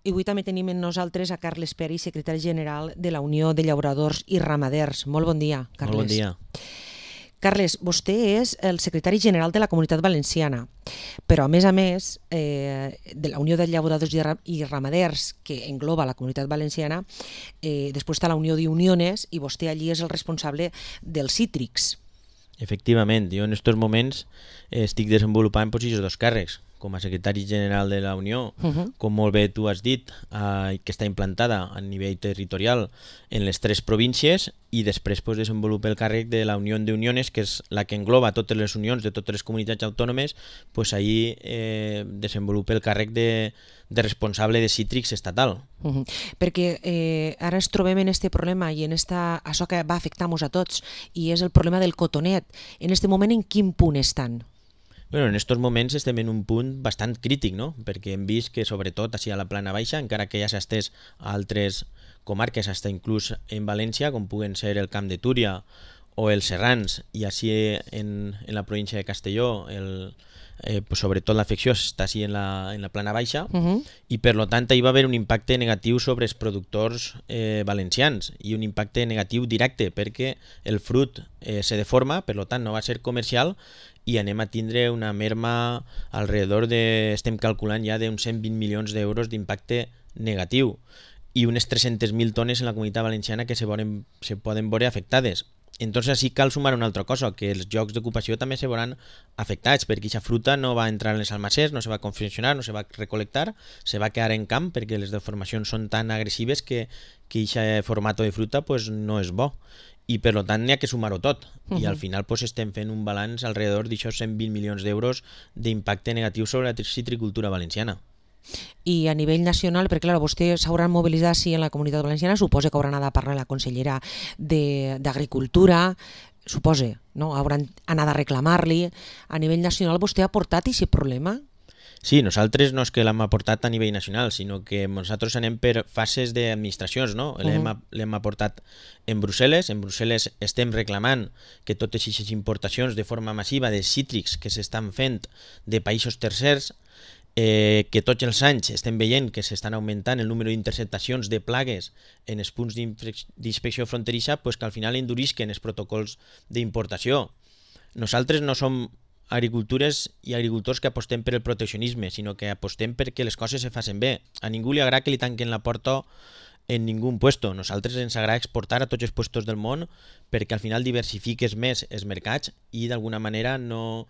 I avui també tenim amb nosaltres a Carles Peri, secretari general de la Unió de Llauradors i Ramaders. Molt bon dia, Carles. Molt bon dia. Carles, vostè és el secretari general de la Comunitat Valenciana, però a més, de la Unió de Llauradors i Ramaders, que engloba la Comunitat Valenciana, després està la Unió d'Uniones i vostè allí és el responsable dels cítrics. Efectivament, jo en aquests moments estic desenvolupant aquests dos càrrecs, com a secretari general de la Unió, com molt bé tu has dit, que està implantada a nivell territorial en les 3 províncies, i després desenvolupa el càrrec de la Unió d'Uniones, que és la que engloba totes les unions de totes les comunitats autònomes, ahí desenvolupa el càrrec de responsable de cítrics estatal. Perquè ara ens trobem en aquest problema i en això que va afectar-nos a tots, i és el problema del cotonet. En aquest moment, en quin punt estan? Bueno, en aquests moments estem en un punt bastant crític, no? Perquè hem vist que sobretot així a la plana baixa, encara que ja s'ha estès a altres comarques, fins inclús en València, com puguen ser el Camp de Túria o els Serrans, i així en la província de Castelló, sobretot l'afecció està així en la plana baixa, i per tant hi va haver un impacte negatiu sobre els productors valencians, i un impacte negatiu directe, perquè el fruit se deforma, per tant no va ser comercial, i anem a tindre una merma estem calculant ja d'uns 120 milions d'euros d'impacte negatiu, i unes 300.000 tones en la Comunitat Valenciana que se poden veure afectades. Entonces així cal sumar una altra cosa, que els llocs d'ocupació també se veuran afectats, perquè aquesta fruta no va entrar en les almacers, no se va confeccionar, no se va recolectar, se va quedar en camp, perquè les deformacions són tan agressives que aquest format de fruta no és bo. I per tant n'hi ha que sumar-ho tot, i al final estem fent un balanç alrededor d'aixòs 120 milions d'euros d'impacte negatiu sobre la citricultura valenciana. I a nivell nacional, perquè clar, vostès s'hauran mobilitzat en la Comunitat Valenciana, suposa que hauran anat a parlar la consellera d'Agricultura, suposa, no? Hauran anat a reclamar-li. A nivell nacional vostè ha portat aquest problema? Sí, nosaltres no és que l'hem aportat a nivell nacional, sinó que nosaltres anem per fases d'administracions, no? L'hem aportat en Brussel·les. En Brussel·les estem reclamant que totes aquestes importacions de forma massiva de cítrics que s'estan fent de països tercers, que tots els anys estem veient que s'estan augmentant el número d'interceptacions de plagues en els punts d'inspecció fronterissa, que al final endurisquen els protocols d'importació. Nosaltres no som agricultores i agricultors que apostem per el proteccionisme, sinó que apostem perquè les coses se facin bé. A ningú li agrada que li tanquen la porta en ningú puesto. Nosaltres ens agrada exportar a tots els puestos del món perquè al final diversifiques més els mercats i d'alguna manera no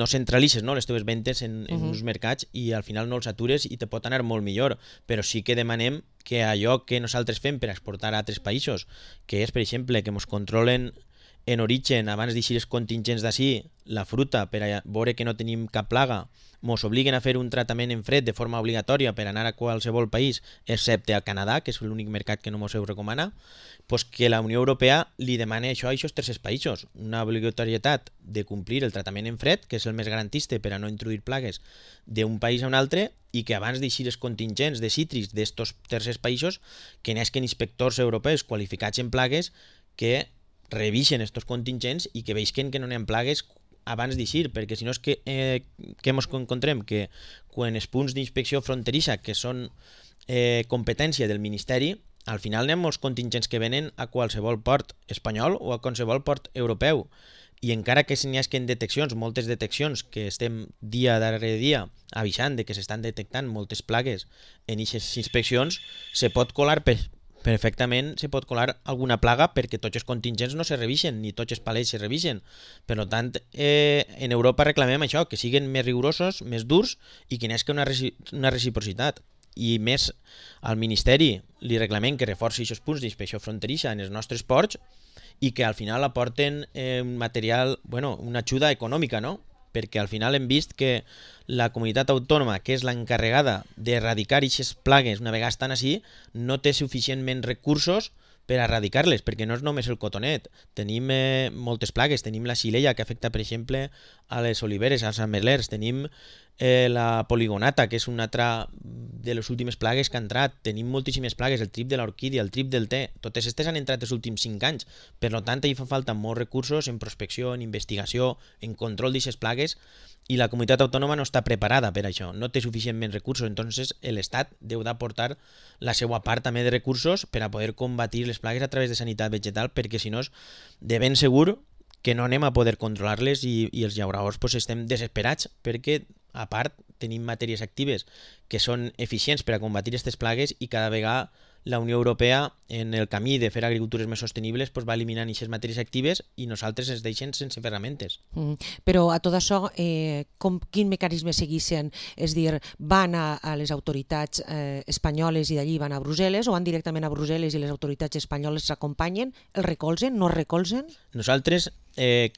centralitzes les teves ventes en uns mercats i al final no els atures i te pot anar molt millor, però sí que demanem que allò que nosaltres fem per exportar a altres països, que és per exemple que ens controlen en origen, abans d'eixir els contingents d'ací, la fruta, per a veure que no tenim cap plaga, ens obliguen a fer un tractament en fred de forma obligatòria per anar a qualsevol país, excepte al Canadà, que és l'únic mercat que no ens ho recomana, que la Unió Europea li demana això a aquests tercers països, una obligatorietat de complir el tractament en fred, que és el més garantista per a no introduir plagues d'un país a un altre, i que abans d'eixir els contingents de cítrics d'estos tercers països, que n'esquen inspectors europeus qualificats en plagues que revisen estos contingents i que veisquen que no n'hi ha plagues abans d'eixir, perquè si no és que ens encontrem que quan els punts d'inspecció fronterissa, que són competència del Ministeri, al final n'hi ha molts contingents que venen a qualsevol port espanyol o a qualsevol port europeu, i encara que n'hi hagi deteccions, moltes deteccions, que estem dia darrere dia avisant de que s'estan detectant moltes plagues en aquestes inspeccions, se pot colar perfectament alguna plaga perquè tots els contingents no se revisen, ni tots els palets se revisen. Per tant, en Europa reclamem això, que siguin més rigorosos, més durs i que n'hi hagi una reciprocitat. I més al Ministeri li reclamem que reforci aquests punts d'inspecció fronterissa en els nostres ports i que al final aporten un material, una ajuda econòmica, no? Perquè al final hem vist que la comunitat autònoma, que és l'encarregada d'erradicar aquestes plagues una vegada estan així, no té suficientment recursos per erradicar-les, perquè no és només el cotonet. Tenim moltes plagues, tenim la xilella que afecta, per exemple, a les oliveres, als ametlers, tenim la poligonata, que és una altra de les últimes plagues que ha entrat. Tenim moltíssimes plagues, el trip de l'orquídia, el trip del te. Totes aquestes han entrat els últims 5 anys. Per tant, hi fa falta molts recursos en prospecció, en investigació, en control d'aquestes plagues, i la comunitat autònoma no està preparada per això, no té suficientment recursos. Entonces l'Estat deu d'aportar la seva part també de recursos per a poder combatir les plagues a través de sanitat vegetal, perquè si no és de ben segur que no anem a poder controlar-les i els llauradors pues, estem desesperats perquè a part tenim matèries actives que són eficients per a combatir aquestes plagues i cada vegada la Unió Europea, en el camí de fer agricultures més sostenibles, pues, va eliminant aquestes matèries actives i nosaltres ens deixen sense ferramentes. Però a tot això, quin mecanisme segueixen? És dir, van a les autoritats espanyoles i d'allí van a Brussel·les, o van directament a Brussel·les i les autoritats espanyoles s'acompanyen, el recolzen, no recolzen? Nosaltres,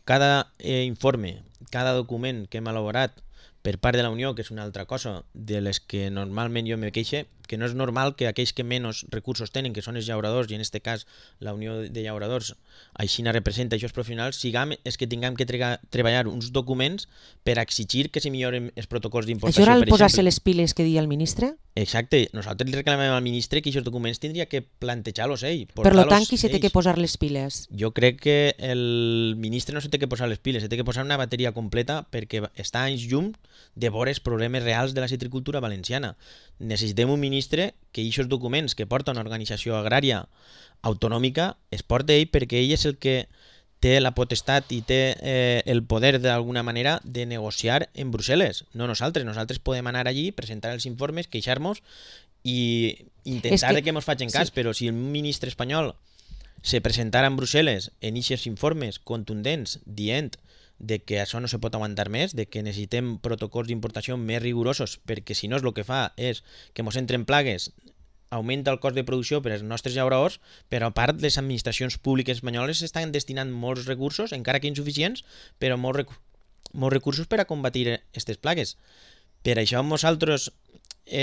cada informe, cada document que hem elaborat per part de la Unió, que és una altra cosa de les que normalment jo me queixe, que no és normal que aquells que menys recursos tenen, que són els llauradors, i en aquest cas la Unió de Llauradors així representa aquests professionals, és que tinguem que treballar uns documents per exigir que se milloren els protocols d'importació. Això era el posar-se les piles que deia el ministre? Exacte. Nosaltres li reclamem al ministre que aquests documents tindria que plantejar-los ell. Per tant, qui se té que posar les piles? Jo crec que el ministre no se té que posar les piles, se té que posar una bateria completa perquè està anys llum de veure els problemes reals de la citricultura valenciana. Necessitem un ministre que aquests documents que porta una organització agrària autonòmica es porta ell, perquè ell és el que té la potestat i té el poder d'alguna manera de negociar en Brussel·les, no nosaltres. Nosaltres podem anar allí, presentar els informes, queixar-nos i intentar que ens facin cas, però si el ministre espanyol se presentara en Brussel·les en aquests informes contundents dient de que això no se pot aguantar més, de que necessitem protocols d'importació més rigorosos, perquè si no el que fa és que ens entren plagues, augmenta el cost de producció per als nostres llauradors, però a part les administracions públiques espanyoles estan destinant molts recursos, encara que insuficients, però molts recursos per a combatir aquestes plagues. Per això nosaltres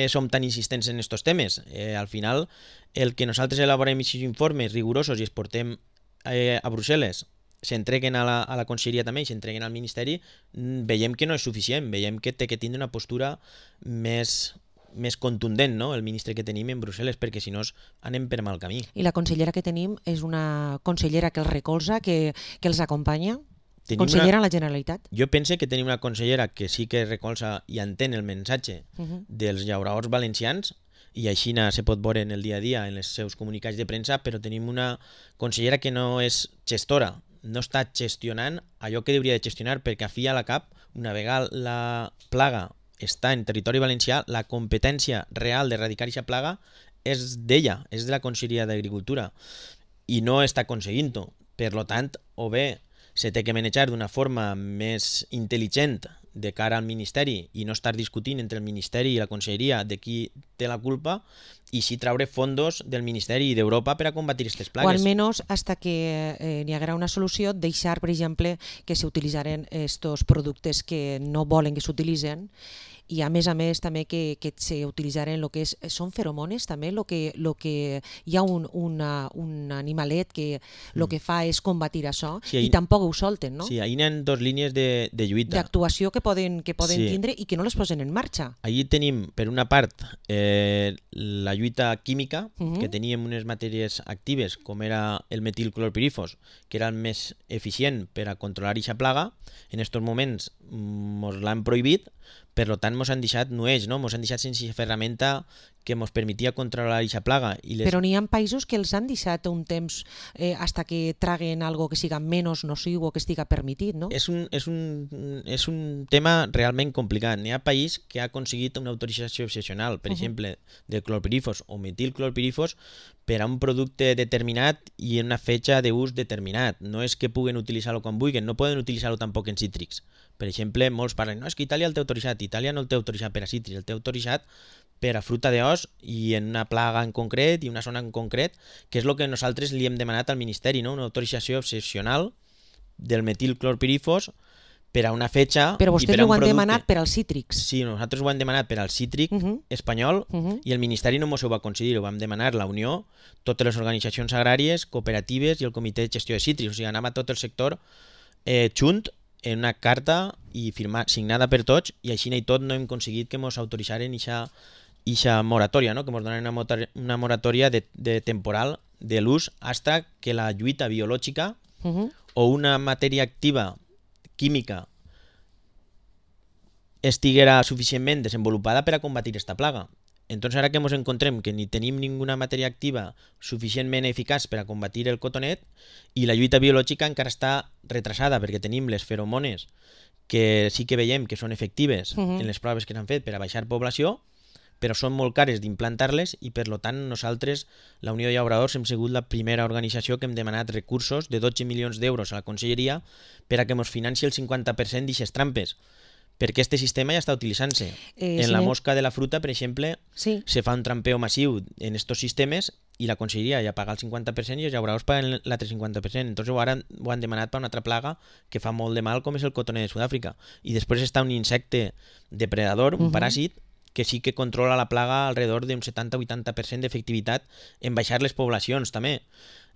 som tan insistents en aquests temes. Al final, el que nosaltres elaborem aquests informes rigorosos i els portem a Brussel·les, s'entreguen a la conselleria també i s'entreguen al ministeri, veiem que no és suficient, veiem que té que tindre una postura més contundent, no? El ministre que tenim en Brussel·les, perquè si no anem per mal camí. I la consellera que tenim és una consellera que els recolza, que els acompanya? Consellera a la Generalitat? Jo pense que tenim una consellera que sí que recolza i entén el missatge dels llauradors valencians, i així se pot veure en el dia a dia en els seus comunicats de premsa, però tenim una consellera que no és gestora, no està gestionant allò que hauria de gestionar, perquè a fi a la cap, una vegada la plaga està en territori valencià, la competència real d'erradicar aquesta plaga és d'ella, és de la Conselleria d'Agricultura, i no està aconseguint-ho. Per tant, o bé se té que manejar d'una forma més intel·ligent de cara al Ministeri i no estar discutint entre el Ministeri i la Conselleria de qui té la culpa, i sí treure fondos del Ministeri i d'Europa per a combatir aquestes plagues. O almenys, hasta que n'hi haguera una solució, deixar, per exemple, que s'utilitzaren aquests productes que no volen que s'utilitzen, i a més també que s'utilitzaren el que són feromones també, el que hi ha un animalet que el que fa és combatir això, i tampoc ho solten, no? Sí, ahí hi ha dos línies de lluita. D'actuació que poden tindre i que no les posen en marxa. Allí tenim, per una part, la lluita química, que teníem unes matèries actives, com era el metilclorpirifos, que era el més eficient per a controlar aquesta plaga. En aquests moments ens l'han prohibit, per tant ens han deixat nueix, no? Ens han deixat sense ferramenta que ens permetia controlar aquesta plaga. Però n'hi ha països que els han deixat un temps hasta que traguen algo que siga menys nociu o que estiga permitit, no? És un tema realment complicat. N'hi ha país que ha aconseguit una autorització excepcional, per exemple, del clorpirifos o metilclorpirifos per a un producte determinat i en una fetge d'ús determinat. No és que puguen utilitzar-lo quan vulguin, no poden utilitzar-lo tampoc en cítrics. Per exemple, molts parlen, no, és que Itàlia el té autoritzat. Itàlia no el té autoritzat per a cítrics, el té autoritzat per a fruta d'os i en una plaga en concret i una zona en concret, que és el que nosaltres li hem demanat al Ministeri, no? Una autorització excepcional del metilclorpirifos per a una fetge. Però vostès ho han demanat per als cítrics. Sí, nosaltres ho hem demanat per al cítric espanyol i el Ministeri no ens ho va concedir, ho vam demanar la Unió, totes les organitzacions agràries, cooperatives i el Comitè de Gestió de Cítrics. O sigui, anàvem a tot el sector junt en una carta i signada per tots, i així i tot no hem aconseguit que ens autoritzaren ixa moratòria, no? Que ens donen una moratòria de temporal de l'ús hasta que la lluita biològica o una matèria activa química estiguera suficientment desenvolupada per a combatir esta plaga. Entonces ara que ens encontrem que ni tenim ninguna matèria activa suficientment eficaç per a combatir el cotonet i la lluita biològica encara està retrasada perquè tenim les feromones que sí que veiem que són efectives en les proves que s'han fet per a baixar població, però són molt cares d'implantar-les i per tant nosaltres, la Unió de Llauradors, hem sigut la primera organització que hem demanat recursos de 12 milions d'euros a la Conselleria per a que ens financi el 50% d'aquestes trampes, perquè aquest sistema ja està utilitzant-se. En la mosca de la fruta, per exemple, se fa un trampeo massiu en estos sistemes i la Conselleria ja paga el 50% i els llauradors paguen l'altre 50%. Entonces ara ho han demanat per una altra plaga que fa molt de mal, com és el cotoner de Sud-àfrica. I després està un insecte depredador, un paràsit, que sí que controla la plaga alrededor d'un 70-80% d'efectivitat en baixar les poblacions també.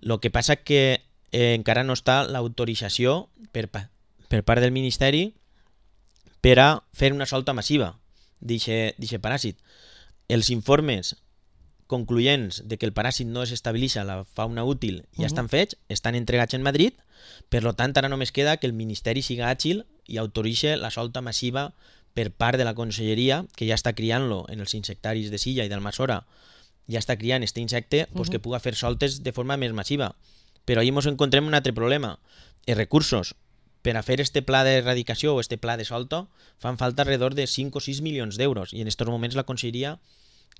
El que passa que encara no està l'autorització per part del Ministeri per a fer una solta massiva d'aquest paràsit. Els informes concloents de que el paràsit no desestabilitza la fauna útil ja estan fets, estan entregats en Madrid, per tant ara només queda que el Ministeri siga àgil i autoritzi la solta massiva per part de la Conselleria, que ja està criant-lo en els insectaris de Silla i d'Almassora, ja està criant aquest insecte, que puga fer soltes de forma més massiva. Però ahir ens encontrem un altre problema. Els recursos per a fer este pla d'erradicació o este pla de solta fan falta alrededor de 5 o 6 milions d'euros i en aquests moments la Conselleria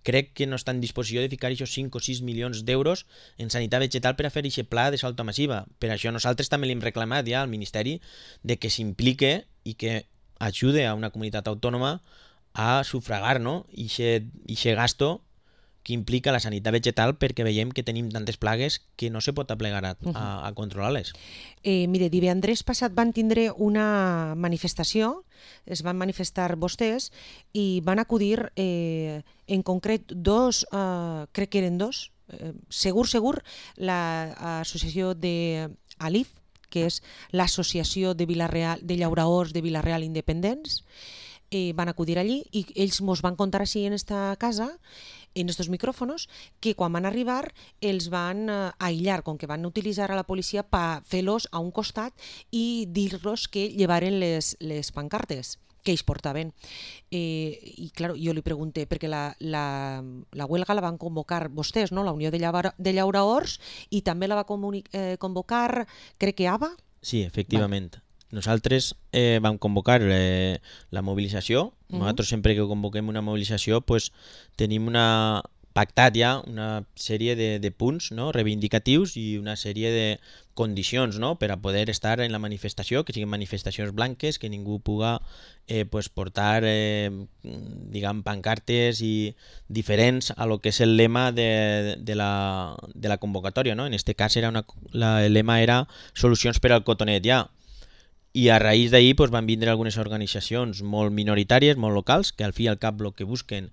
crec que no està en disposició de ficar aquests 5 o 6 milions d'euros en sanitat vegetal per a fer aquest pla de solta massiva. Per això nosaltres també li hem reclamat ja al Ministeri de que s'implique i que ajude a una comunitat autònoma a sufragar, no? Ixe gasto que implica la sanitat vegetal perquè veiem que tenim tantes plagues que no se pot aplegar a controlar-les. Mire, divendres passat van tindre una manifestació, es van manifestar vostès i van acudir en concret dos, crec que eren dos, segur, l'associació d'ALIF, que és l'Associació de Llauradors de Vila-real Independents, van acudir allí i ells ens van contar així en esta casa, en estos micrófonos, que quan van arribar els van aïllar, com que van utilitzar a la policia per fer-los a un costat i dir-los que llevaren les pancartes que ells portaven. I clar, jo li pregunté, perquè la huelga la van convocar vostès, no? La Unió de Llauradors, i també la va convocar, crec que ABA? Sí, efectivament. Nosaltres vam convocar la mobilització. Nosaltres sempre que convoquem una mobilització tenim pactat ja una sèrie de punts, no? Reivindicatius i una sèrie de condicions, no? Per a poder estar en la manifestació, que siguin manifestacions blanques, que ningú puga portar diguem pancartes i diferents a lo que és el lema de la convocatòria, no? En este cas el lema era solucions per al cotonet ja. I a raïs d'ahir van vindre algunes organitzacions molt minoritàries, molt locals, que al fi i al cap el que busquen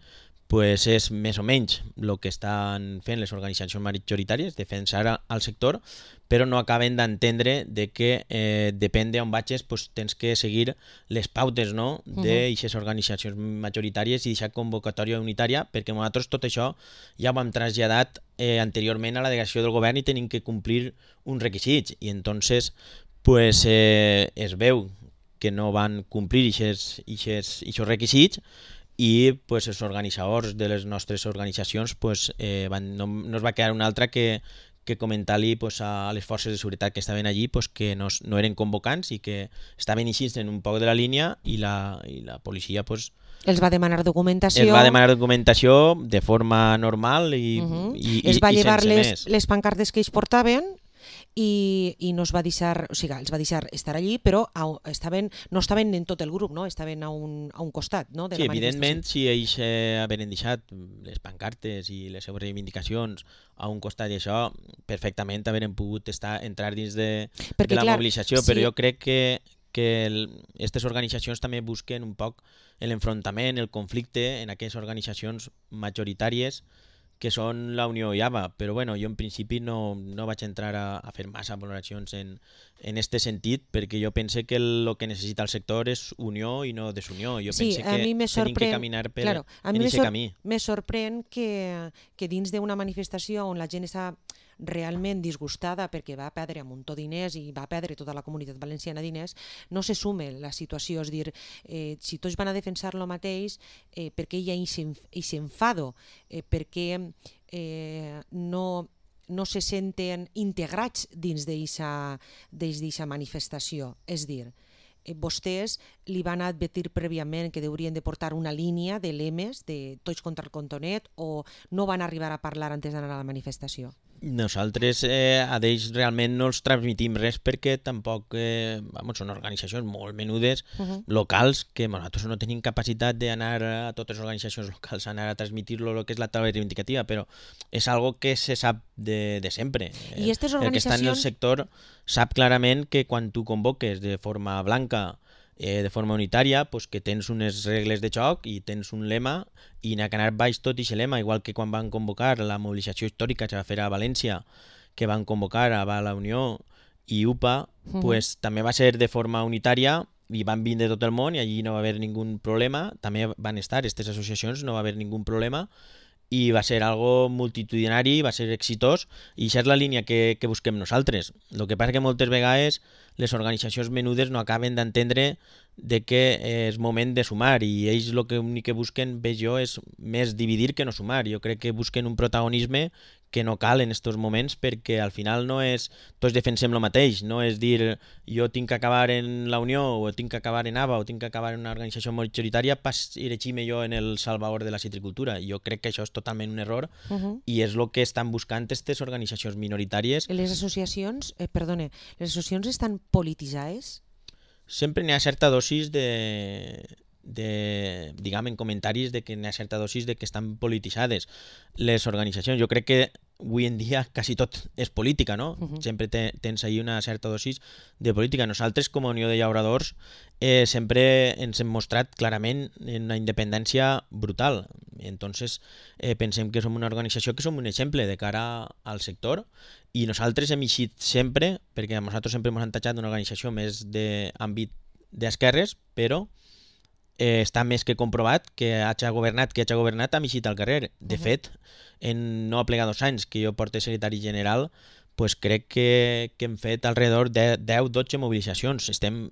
és més o menys el que estan fent les organitzacions majoritàries, defensar al sector, però no acaben d'entendre que depèn d'on vagis tens que seguir les pautes, no? D'aquestes organitzacions majoritàries i d'aquesta convocatòria unitària, perquè nosaltres tot això ja ho hem traslladat anteriorment a la delegació del govern i tenim que complir uns requisits i entonces es veu que no van complir aquests requisits i els organitzadors de les nostres organitzacions no es va quedar una altra que comentar-li a les forces de seguretat que estaven allí que no eren convocants i que estaven així en un poc de la línia i la policia els va demanar documentació. Els va demanar documentació de forma normal i es va llevar més. Les pancartes que ells portaven i no es va deixar, o sigui, els va deixar estar allí, però no estaven en tot el grup, no? Estaven a un costat, no? Sí, evidentment, si ells haveren deixat les pancartes i les seves reivindicacions a un costat i això, perfectament haveren pogut entrar dins de la mobilització, però jo crec que aquestes organitzacions també busquen un poc l'enfrontament, el conflicte en aquelles organitzacions majoritàries que són la Unió i ABA, però bueno, jo en principi no vaig entrar a fer massa valoracions en este sentit, perquè jo pense que el que necessita el sector és unió i no desunió. Jo Sí, pense a mi me que tenim que sorprèn, caminar a mi en me, aquest camí. me sorprèn que dins d'una manifestació on la gent està realment disgustada perquè va perdre un muntó diners i va perdre tota la comunitat valenciana diners, no se sume la situació, és dir, si tots van a defensar lo mateix, per què hi ha aquest enfado, per què no se senten integrats dins d'eixa manifestació, és dir, vostès li van advertir prèviament que haurien de portar una línia de lemes de tots contra el Contonet o no van arribar a parlar antes d'anar a la manifestació? Nosaltres a ells realment no els transmitim res perquè tampoc són organitzacions molt menudes, locals, que nosaltres no tenim capacitat d'anar a totes les organitzacions locals, anar a transmitir-lo el que és la taula reivindicativa, però és algo que se sap de sempre. I aquestes El que està en el organitzacions... sector sap clarament que quan tu convoques de forma blanca, de forma unitària, pues que tens unes regles de joc i tens un lema i n'ha que anar baix tot aquest lema, igual que quan van convocar la mobilització històrica que va fer a València, que van convocar a la Unió i UPA, pues també va ser de forma unitària i van vindre tot el món i allí no va haver ningú problema, també van estar aquestes associacions, no va haver ningú problema, i va ser algo multitudinari, va ser exitós, i això és la línia que busquem nosaltres. El que passa que moltes vegades les organitzacions menudes no acaben d'entendre de que és moment de sumar, i ells el que únic que busquen, veig jo, és més dividir que no sumar. Jo crec que busquen un protagonisme que no cal en aquests moments, perquè al final no és tots defensem el mateix, no és dir jo tinc que acabar en la Unió o tinc que acabar en ABA o tinc que acabar en una organització majoritària per erigir-me jo en el salvador de la citricultura. Jo crec que això és totalment un error i és el que estan buscant aquestes organitzacions minoritàries. Les associacions, les associacions estan polititzades? Sempre n'hi ha certa dosis diguem, en comentaris de que n'hi ha certa dosis de que estan polititzades les organitzacions. Jo crec que avui en dia quasi tot és política, no? Sempre tens ahí una certa dosis de política. Nosaltres, com a Unió de Llauradors, sempre ens hem mostrat clarament en una independència brutal. Entonces, pensem que som una organització que som un exemple de cara al sector, i nosaltres hem eixit sempre, perquè nosaltres sempre hem entatjat una organització més d'àmbit d'esquerres, però està més que comprovat que hagi governat hem eixit al carrer. De fet, en no plegar 2 anys que jo porto secretari general, pues crec que hem fet alrededor de 10-12 mobilitzacions. Estem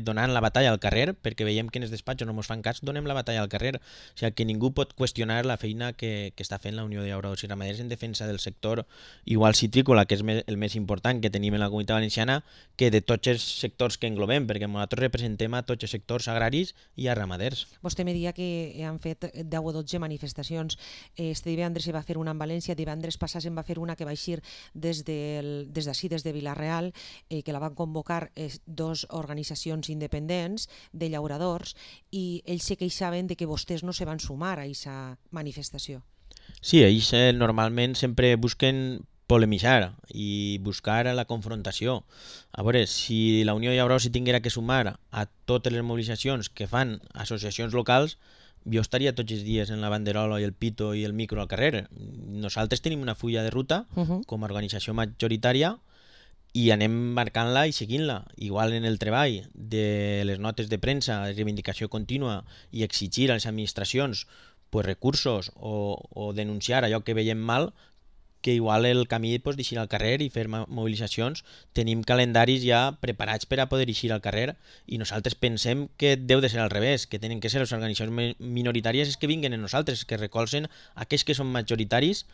donant la batalla al carrer, perquè veiem que en els despatxos no ens fan cas, donem la batalla al carrer. O sigui, que ningú pot qüestionar la feina que està fent la Unió de Llauradors i Ramaders en defensa del sector igual citrícola, que és el més important que tenim en la Comunitat Valenciana, que de tots els sectors que englobem, perquè nosaltres representem a tots els sectors agraris i a ramaders. Vostè me deia que han fet 10 o 12 manifestacions. Este divendres se va fer una en València, divendres passat se'n va fer una que va eixir des d'ací, des de Vila-real, que la van convocar 2 organitzacions independents de llauradors, i ells se queixaven de que vostès no se van sumar a aquesta manifestació. Sí, ells normalment sempre busquen polemitzar i buscar la confrontació. A veure, si la Unió de Llauradors s'hi tinguera que sumar a totes les mobilitzacions que fan associacions locals, jo estaria tots els dies en la banderola i el pito i el micro al carrer. Nosaltres tenim una fulla de ruta com a organització majoritària i anem marcant-la i seguint-la. Igual en el treball de les notes de premsa, de reivindicació contínua i exigir a les administracions recursos o denunciar allò que veiem mal, que igual el camí d'eixir al carrer i fer mobilitzacions, tenim calendaris ja preparats per a poder eixir al carrer, i nosaltres pensem que deu de ser al revés, que tenen que ser les organitzacions minoritàries que vinguen en nosaltres, que recolzen aquells que són majoritaris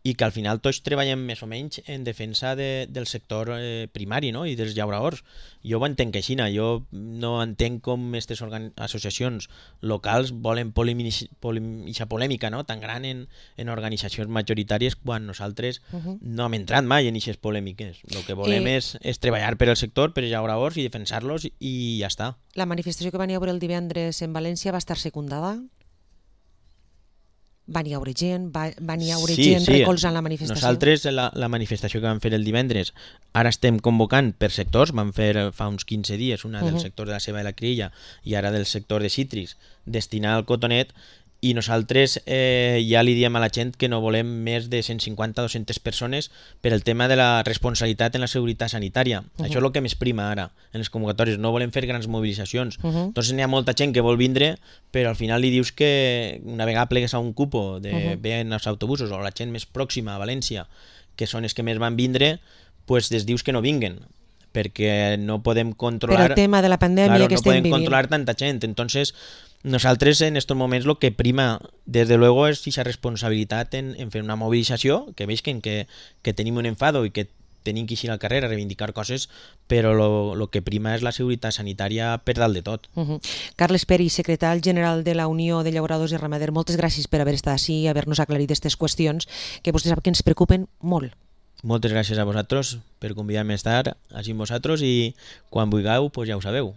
i que al final tots treballem més o menys en defensa del sector primari, no? I dels llauradors. Jo ho entenc així, jo no entenc com aquestes associacions locals volen aquesta polèmica, no? Tan gran en organitzacions majoritàries quan nosaltres no hem entrat mai en aquestes polèmiques. El que volem és treballar per al sector, per als llauradors i defensar-los, i ja està. La manifestació que van haver el divendres en València va estar secundada? Van hi haure gent? Van hi haure gent recolzant la manifestació? Nosaltres, la manifestació que vam fer el divendres, ara estem convocant per sectors. Vam fer fa uns 15 dies una del sector de la ceba i la crilla i ara del sector de cítrics, destinada al cotonet, i nosaltres ja li diem a la gent que no volem més de 150-200 persones per el tema de la responsabilitat en la seguretat sanitària. Això és el que més prima ara en les convocatòries, no volem fer grans mobilitzacions. Entonces n'hi ha molta gent que vol vindre, però al final li dius que una vegada plegues a un cupo de ven els autobusos o la gent més pròxima a València, que són els que més van vindre, pues les dius que no vinguen, perquè no podem controlar... Per el tema de la pandèmia que estem vivint. No podem controlar tanta gent. Entonces, nosaltres en estos moments lo que prima, desde luego, es esa responsabilitat en fer una mobilització, que veuen que tenim un enfado i que tenim que eixir al carrer a reivindicar coses, però lo que prima és la seguretat sanitària per dalt de tot. Carles Peris, secretari general de la Unió de Llauradors i Ramaders, moltes gràcies per haver estat així i haver-nos aclarit aquestes qüestions que vostè sap que ens preocupen molt. Moltes gràcies a vosaltres per convidar-me a estar així amb vosaltres i quan vulgueu, pues ja ho sabeu.